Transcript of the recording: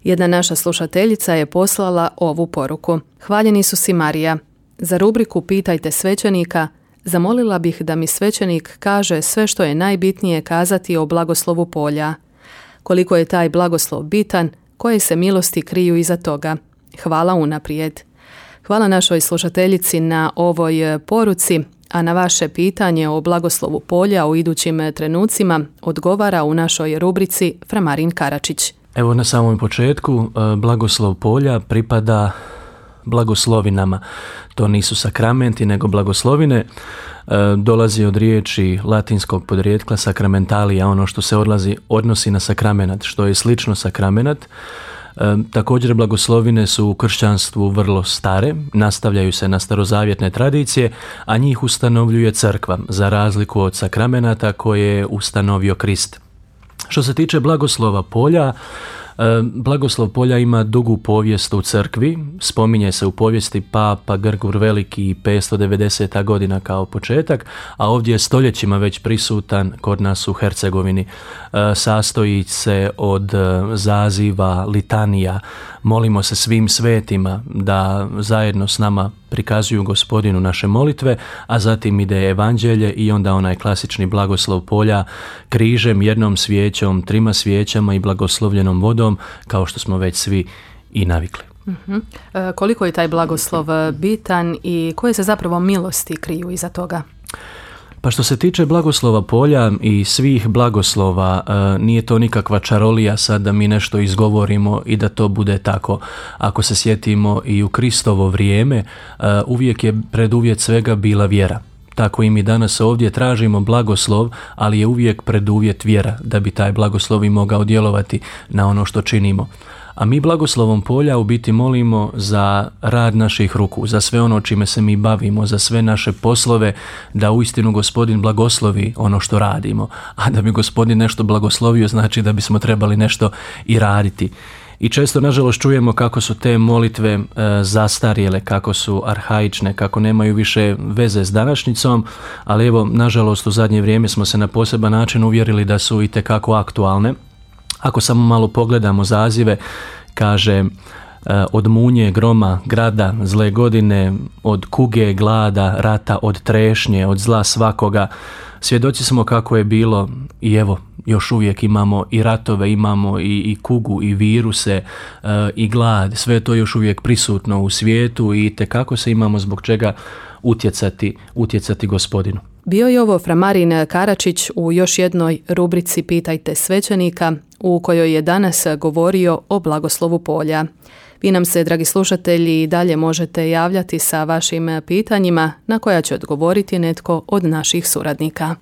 Jedna naša slušateljica je poslala ovu poruku. Hvaljeni su si Marija. Za rubriku Pitajte svećenika zamolila bih da mi svećenik kaže sve što je najbitnije kazati o blagoslovu polja. Koliko je taj blagoslov bitan, koje se milosti kriju iza toga. Hvala unaprijed. Hvala našoj slušateljici na ovoj poruci, a na vaše pitanje o blagoslovu polja u idućim trenucima odgovara u našoj rubrici fra Marin Karačić. Evo na samom početku, blagoslov polja pripada blagoslovinama. To nisu sakramenti, nego blagoslovine. Dolazi od riječi latinskog podrijetkla sakramentalija, ono što se odnosi na sakramenat, što je slično sakramenat. Također blagoslovine su u kršćanstvu vrlo stare, nastavljaju se na starozavjetne tradicije, a njih ustanovljuje crkva, za razliku od sakramenata koje je ustanovio Krist. Što se tiče blagoslova polja, blagoslov polja ima dugu povijest u crkvi, spominje se u povijesti Papa Grgur Veliki 590. godina kao početak, a ovdje je stoljećima već prisutan kod nas u Hercegovini. Sastoji se od zaziva, litanija, molimo se svim svetima da zajedno s nama prikazuju Gospodinu naše molitve, a zatim ide evanđelje i onda onaj klasični blagoslov polja križem, jednom svijećom, 3 svijećama i blagoslovljenom vodom, kao što smo već svi i navikli. Koliko je taj blagoslov bitan i koje se zapravo milosti kriju iza toga? Pa što se tiče blagoslova polja i svih blagoslova, nije to nikakva čarolija sad da mi nešto izgovorimo i da to bude tako. Ako se sjetimo i u Kristovo vrijeme, uvijek je preduvjet svega bila vjera. Tako i mi danas ovdje tražimo blagoslov, ali je uvijek preduvjet vjera da bi taj blagoslov i mogao djelovati na ono što činimo. A mi blagoslovom polja u biti molimo za rad naših ruku, za sve ono čime se mi bavimo, za sve naše poslove, da uistinu Gospodin blagoslovi ono što radimo. A da bi Gospodin nešto blagoslovio, znači da bismo trebali nešto i raditi. I često, nažalost, čujemo kako su te molitve zastarjele, kako su arhaične, kako nemaju više veze s današnjicom, ali evo, nažalost, u zadnje vrijeme smo se na poseban način uvjerili da su itekako aktualne. Ako samo malo pogledamo zazive, kaže od munje, groma, grada, zle godine, od kuge, glada, rata, od trešnje, od zla svakoga. Svjedoci smo kako je bilo i evo, još uvijek imamo i ratove, imamo i kugu, i viruse, i glad. Sve je to još uvijek prisutno u svijetu i tekako se imamo zbog čega utjecati Gospodinu. Bio je ovo fra Marin Karačić u još jednoj rubrici Pitajte svećenika, u kojoj je danas govorio o blagoslovu polja. Vi nam se, dragi slušatelji, i dalje možete javljati sa vašim pitanjima na koja će odgovoriti netko od naših suradnika.